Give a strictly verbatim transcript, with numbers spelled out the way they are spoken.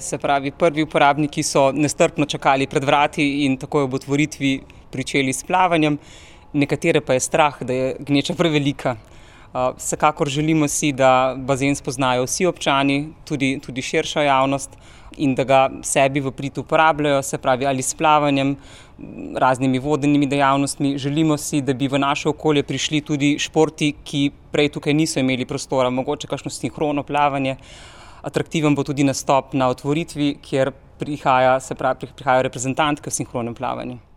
Se pravi, prvi uporabniki so nestrpno čakali pred vrati in takoj ob otvoritvi pričeli s plavanjem. Nekatere pa je strah, da je gneča prevelika. Vsekakor želimo si, da bazen spoznajo vsi občani, tudi, tudi širša javnost, in da ga sebi v prid uporabljajo, se pravi ali s plavanjem, raznimi vodenimi dejavnostmi. Želimo si, da bi v naše okolje prišli tudi športi, ki prej tukaj niso imeli prostora, mogoče kakšno sinhrono plavanje. Atraktiven bo tudi nastop na otvoritvi, kjer prihaja, se pravi, prihajajo reprezentantke v sinhronem plavanju.